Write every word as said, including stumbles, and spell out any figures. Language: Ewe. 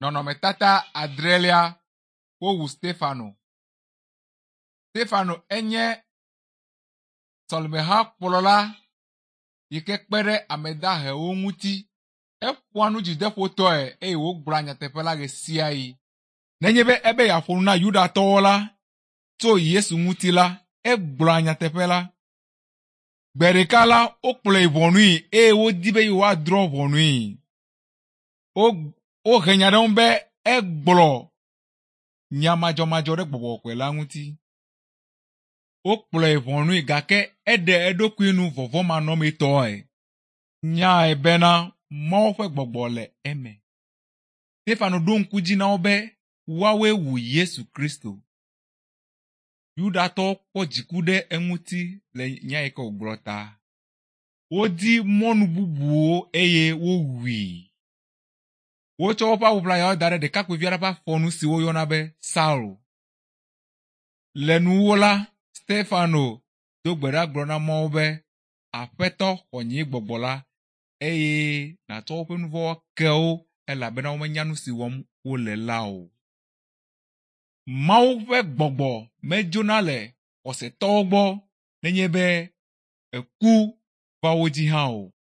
Nɔnɔmetata adrelia wowu Stefano. Stefano enye sɔlemehakplɔla yi ke kpe ɖe ame dahewo ŋuti. Eƒoa nu dzideƒotɔe eye wògblɔa nyateƒe la ɣe sia ɣi. Nenye be ebe yeaƒo nu na Yudatɔwo la tso Yesu ŋuti la, egblɔa nyateƒe la. Gbe ɖeka la, wokplɔe yi ʋɔnui eye wodi be yewoadrɔ̃ ʋɔnui. Wo wohe nya ɖe eŋu be egblɔ nya madzɔmadzɔ ɖe gbɔgbɔ kɔkɔe la ŋuti. Wokplɔe yi ʋɔnui gake eɖe eɖokui nu vɔvɔ̃manɔmetɔe. Nyae bena Mawu ƒe gbɔgbɔ le eme. Stefano ɖo ŋku dzi na wo be woawoe wu Yesu Kristo. Yudatɔwo kpɔ dziku ɖe eŋuti le nya yi ke wògblɔ ta. Wodi mɔnu bubuwo eye wowui. Wotsɔ woƒe awu ʋlayawo da ɖe ɖekakpuivi aɖe ƒe afɔnu si woyɔna be Saul. Le nuwuwu la, Stefano do gbe ɖa gblɔ na Mawu be, Aƒetɔ xɔ nye gbɔgbɔ la eye nàtsɔ woƒe nu vɔ̃wo ke wo elabena womenya nu si wɔm wole la o. Mawu ƒe gbɔgbɔ medzona le xɔsetɔwo gbɔ nenye be eku va wo dzi hã o.